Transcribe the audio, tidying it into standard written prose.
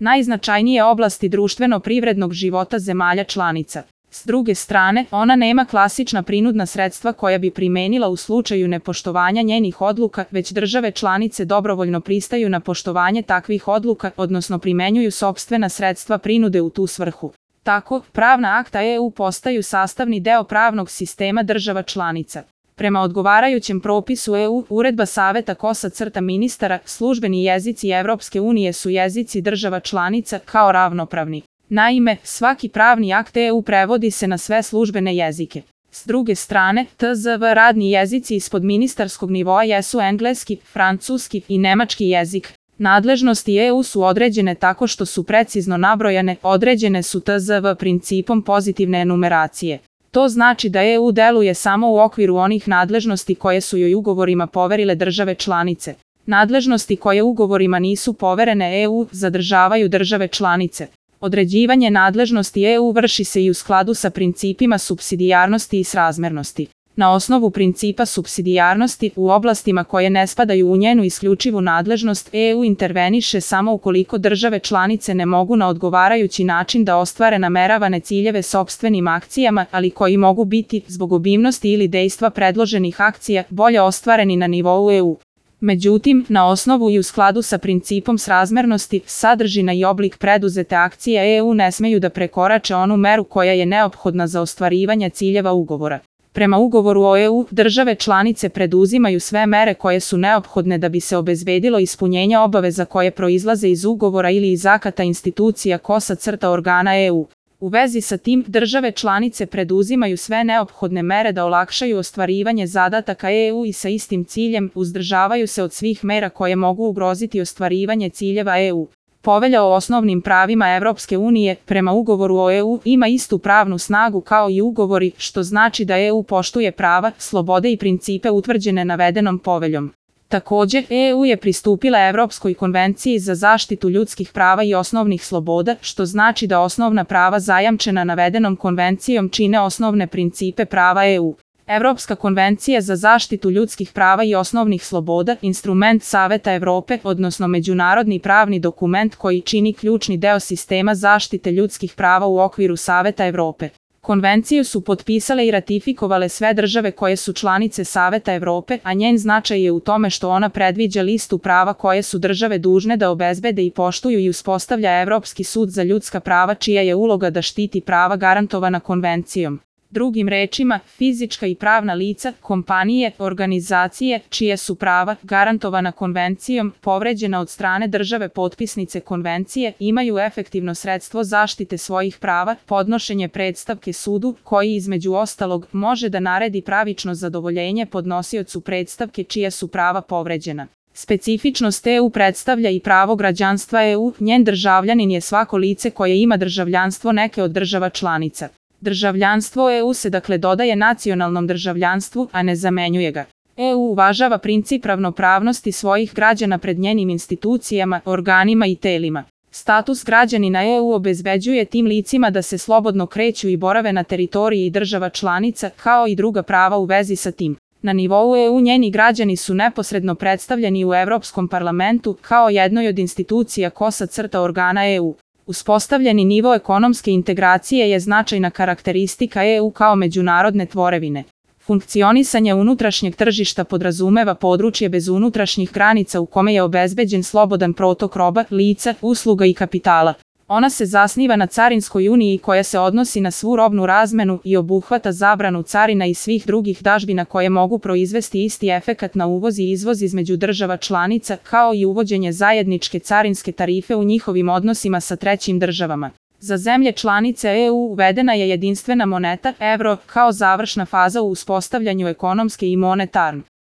najznačajnije oblasti društveno-privrednog života zemalja članica. S druge strane, ona nema klasična prinudna sredstva koja bi primenila u slučaju nepoštovanja njenih odluka, već države članice dobrovoljno pristaju na poštovanje takvih odluka, odnosno primenjuju sopstvena sredstva prinude u tu svrhu. Tako, pravna akta EU postaju sastavni deo pravnog sistema država članica. Prema odgovarajućem propisu EU, uredba Saveta ministara, službeni jezici Evropske unije su jezici država članica kao ravnopravni. Naime, svaki pravni akt EU prevodi se na sve službene jezike. S druge strane, TZV radni jezici ispod ministarskog nivoa jesu engleski, francuski i nemački jezik. Nadležnosti EU su određene tako što su precizno nabrojane, određene su TZV principom pozitivne enumeracije. To znači da EU deluje samo u okviru onih nadležnosti koje su joj ugovorima poverile države članice. Nadležnosti koje ugovorima nisu poverene EU zadržavaju države članice. Određivanje nadležnosti EU vrši se i u skladu sa principima supsidijarnosti i srazmernosti. Na osnovu principa supsidijarnosti, u oblastima koje ne spadaju u njenu isključivu nadležnost, EU interveniše samo ukoliko države članice ne mogu na odgovarajući način da ostvare nameravane ciljeve sopstvenim akcijama, ali koji mogu biti, zbog obimnosti ili dejstva predloženih akcija, bolje ostvareni na nivou EU. Međutim, na osnovu i u skladu sa principom srazmernosti, sadržina i oblik preduzete akcije EU ne smeju da prekorače onu meru koja je neophodna za ostvarivanje ciljeva ugovora. Prema ugovoru o EU, države članice preduzimaju sve mere koje su neophodne da bi se obezbedilo ispunjenje obaveza koje proizlaze iz ugovora ili iz akata institucija organa EU. U vezi sa tim, države članice preduzimaju sve neophodne mere da olakšaju ostvarivanje zadataka EU i sa istim ciljem uzdržavaju se od svih mera koje mogu ugroziti ostvarivanje ciljeva EU. Povelja o osnovnim pravima Evropske unije, prema ugovoru o EU, ima istu pravnu snagu kao i ugovori, što znači da EU poštuje prava, slobode i principe utvrđene navedenom poveljom. Također, EU je pristupila Evropskoj konvenciji za zaštitu ljudskih prava i osnovnih sloboda, što znači da osnovna prava zajamčena navedenom konvencijom čine osnovne principe prava EU. Evropska konvencija za zaštitu ljudskih prava i osnovnih sloboda, instrument Saveta Evrope, odnosno međunarodni pravni dokument koji čini ključni deo sistema zaštite ljudskih prava u okviru Saveta Evrope. Konvenciju su potpisale i ratifikovale sve države koje su članice Saveta Evrope, a njen značaj je u tome što ona predviđa listu prava koje su države dužne da obezbede i poštuju i uspostavlja Evropski sud za ljudska prava čija je uloga da štiti prava garantovana konvencijom. Drugim rečima, fizička i pravna lica, kompanije, organizacije, čije su prava, garantovana konvencijom, povređena od strane države potpisnice konvencije, imaju efektivno sredstvo zaštite svojih prava, podnošenje predstavke sudu, koji između ostalog može da naredi pravično zadovoljenje podnosiocu predstavke čija su prava povređena. Specifičnost EU predstavlja i pravo građanstva EU, njen državljanin je svako lice koje ima državljanstvo neke od država članica. Državljanstvo EU se dakle dodaje nacionalnom državljanstvu, a ne zamenjuje ga. EU uvažava princip ravnopravnosti svojih građana pred njenim institucijama, organima i telima. Status građanina EU obezbeđuje tim licima da se slobodno kreću i borave na teritoriji država članica, kao i druga prava u vezi sa tim. Na nivou EU njeni građani su neposredno predstavljeni u Evropskom parlamentu kao jednoj od institucija organa EU. Uspostavljeni nivo ekonomske integracije je značajna karakteristika EU kao međunarodne tvorevine. Funkcionisanje unutrašnjeg tržišta podrazumeva područje bez unutrašnjih granica u kome je obezbeđen slobodan protok roba, lica, usluga i kapitala. Ona se zasniva na carinskoj uniji koja se odnosi na svu robnu razmenu i obuhvata zabranu carina i svih drugih dažbina koje mogu proizvesti isti efekat na uvoz i izvoz između država članica, kao i uvođenje zajedničke carinske tarife u njihovim odnosima sa trećim državama. Za zemlje članice EU uvedena je jedinstvena moneta, evro, kao završna faza u uspostavljanju ekonomske i monetarne